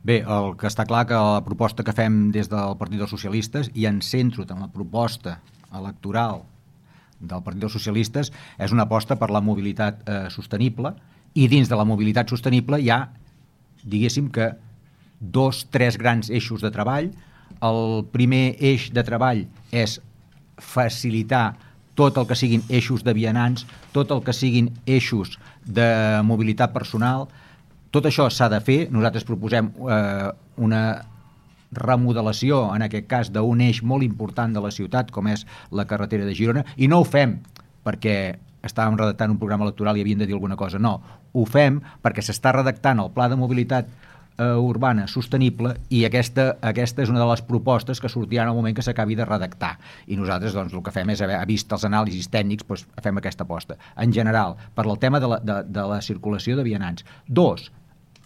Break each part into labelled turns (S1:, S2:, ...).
S1: Bé, el que està clar que la proposta que fem des del Partit dels Socialistes, i em centro en la proposta electoral del Partit dels Socialistes, és una aposta per la mobilitat sostenible, i dins de la mobilitat sostenible hi ha, diguéssim que, 2-3 grans eixos de treball. El primer eix de treball és facilitar tot el que siguin eixos de vianants, tot el que siguin eixos de mobilitat personal. Tot això s'ha de fer. Nosaltres proposem una remodelació, en aquest cas, d'un eix molt important de la ciutat, com és la carretera de Girona, i no ho fem perquè estàvem redactant un programa electoral i havien de dir alguna cosa. No, ho fem perquè s'està redactant el pla de mobilitat urbana sostenible, i aquesta és una de les propostes que sortirà en el moment que s'acabi de redactar, i nosaltres doncs el que fem és, vist els anàlisis tècnics, doncs fem aquesta aposta. En general, per al tema de la circulació de vianants. 2,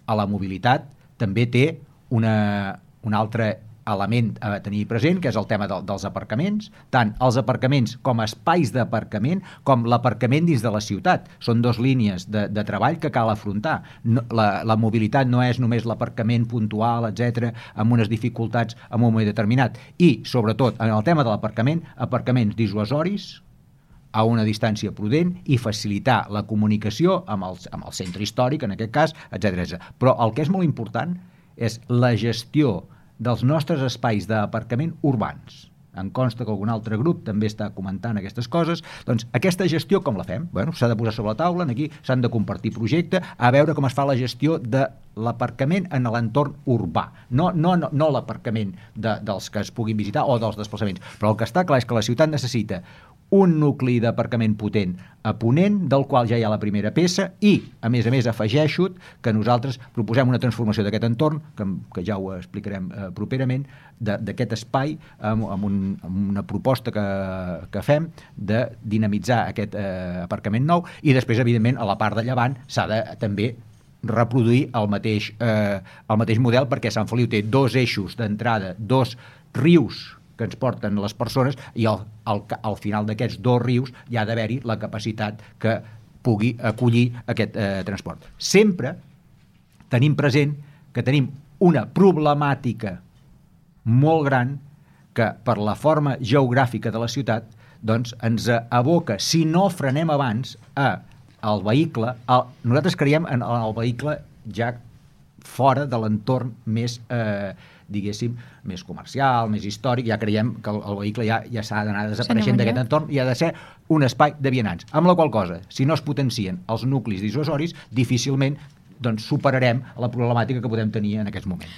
S1: a la mobilitat també té un altre element a tenir present, que és el tema dels aparcaments, tant els aparcaments com espais d'aparcament, com l'aparcament dins de la ciutat. Són 2 línies de treball que cal afrontar. La mobilitat no és només l'aparcament puntual, etc., amb unes dificultats en un moment determinat. I, sobretot, en el tema de l'aparcament, aparcaments dissuasoris, a una distància prudent, i facilitar la comunicació amb el centre històric, en aquest cas, etc. Però el que és molt important és la gestió dels nostres espais d'aparcament urbans. Em consta que algun altre grup també està comentant aquestes coses. Doncs aquesta gestió com la fem? Bueno, s'ha de posar sobre la taula, aquí s'han de compartir projecte, a veure com es fa la gestió de l'aparcament en l'entorn urbà. No l'aparcament dels que es puguin visitar o dels desplaçaments. Però el que està clar és que la ciutat necessita un nucli d'aparcament potent a Ponent, del qual ja hi ha la primera peça, i, a més, afegeixo que nosaltres proposem una transformació d'aquest entorn, que ja ho explicarem properament, d'aquest espai, amb una proposta que fem de dinamitzar aquest aparcament nou, i després, evidentment, a la part de llevant s'ha de també reproduir el mateix model, perquè Sant Feliu té 2 eixos d'entrada, 2 rius que ens porten les persones, i al final d'aquests 2 rius hi ha d'haver-hi la capacitat que pugui acollir aquest transport. Sempre tenim present que tenim una problemàtica molt gran que, per la forma geogràfica de la ciutat, doncs ens aboca, si no frenem abans, al vehicle. Nosaltres creiem en el vehicle ja fora de l'entorn més diguéssim, més comercial, més històric. Ja creiem que el vehicle ja s'ha d'anar desapareixent d'aquest entorn i ha de ser un espai de vianants. Amb la qual cosa, si no es potencien els nuclis dissuasoris, difícilment superarem la problemàtica que podem tenir en aquests moments.